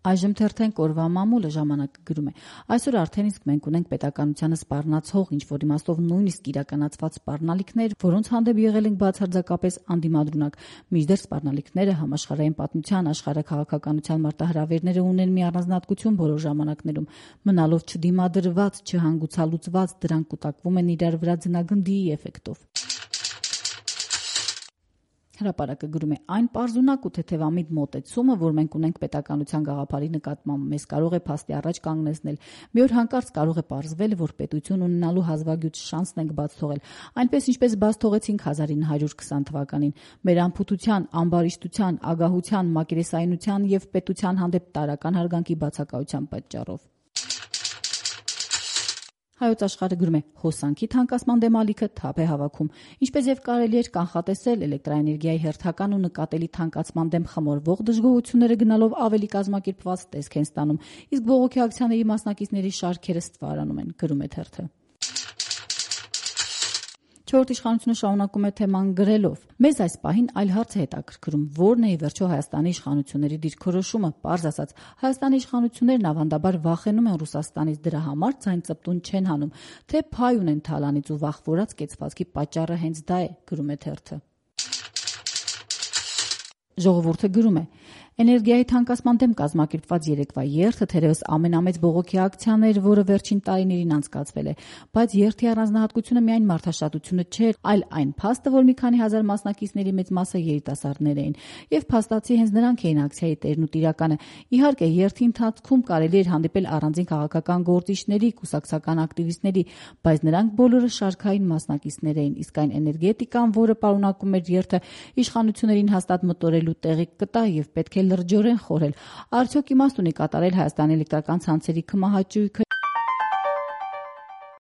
Այժմ թերթենք օրվա մամուլը ժամանակը գրում է. այսօր արդեն իսկ մենք ունենք պետականությանը սպառնացող, ինչ-որ իմաստով նույնիսկ իրականացված սպառնալիքներ, որոնց հանդեպ եղել ենք բացարձակապես անդիմադրունակ։ Մինչդեռ սպառնալիքները համաշխարհային պատմության, աշխարհաքաղաքականության մարտահրավերները ունեն մի առանձնահատկություն բոլոր ժամանակներում։ Մնալով չդիմադրված, չհանգուցալուծված, դրանք կուտակվում են իրար վրա ձնագնդի էֆեկտով։ Հրապարակը գրում է. այն պարզունակ ու թեթևամիտ մոտեցումը, որ մենք ունենք պետականության գաղափարի նկատմամբ, մեզ կարող է փաստի առաջ կանգնեցնել։ Մի օր հանկարծ կարող է պարզվել, որ պետություն ունենալու հազվագյուտ շանսն ենք բաց թողել, այնպես ինչպես բաց թողեցինք 1920 թվականին։ Մեր անփութության, ամբարիշտության, ագահության, մակերեսայնության եւ պետության հանդեպ տարրական հարգանքի բացակայության պատճառով։ Հայոց աշխարհը գրում է. հոսանքի թանկացման դեմ ալիքը թափ է հավաքում։ Ինչպես եւ կարելի էր կանխատեսել, էլեկտրաէներգիայի հերթական ու նկատելի թանկացման դեմ խմորվող դժգոհությունները գնալով ավելի կազմակերպված տեսք են ստանում, իսկ բողոքի ակցիաների մասնակիցների շարքերը ստվարանում են, գրում է թերթը։ Չորրորդ իշխանությունը շարունակում է թեման գրելով. մեզ այս պահին այլ հարց է հետաքրքրում, որն է ի վերջո Հայաստանի իշխանությունների դիրքորոշումը։ Պարզ ասած, Հայաստանի իշխանություններն ավանդաբար վախենում են Ռուսաստանից, դրա համար ձայն ծպտուն չեն հանում, թե փայ ունեն թալանից ու վախվորած կեցվածքի պատճառը հենց դա է, գրում է թերթը։ Ժողովուրդը գրում է. էներգիայի թանկացման դեմ կազմակերպված երեկվա երթը թերևս ամենամեծ բողոքի ակցիան էր, որը վերջին տարիներին անցկացվել է, բայց երթի առանձնահատկությունը միայն մարդաշատությունը չէր, այլ այն փաստը, որ մի քանի հազար մասնակիցների մեծ մասը երիտասարդներ էին, եւ փաստացի հենց նրանք էին ակցիայի տերն ու տիրականը։ Իհարկե, երթի ընթացքում կարելի էր հանդիպել առանձին քաղաքական գործիչների, կուսակցական ակտիվիստների, բայց նրանք բոլորը շարքային մասնակիցներ էին, իսկ այն էներգետիկան, որը պարունակում էր երթը, իշխանություններին հաստատ մտորելու տեղիք կտա եւ պետք է լրջորեն խորհել։ Արդյոք իմաստ ունի կատարել Հայաստանի էլեկտրական ցանցերի քմահաճույքը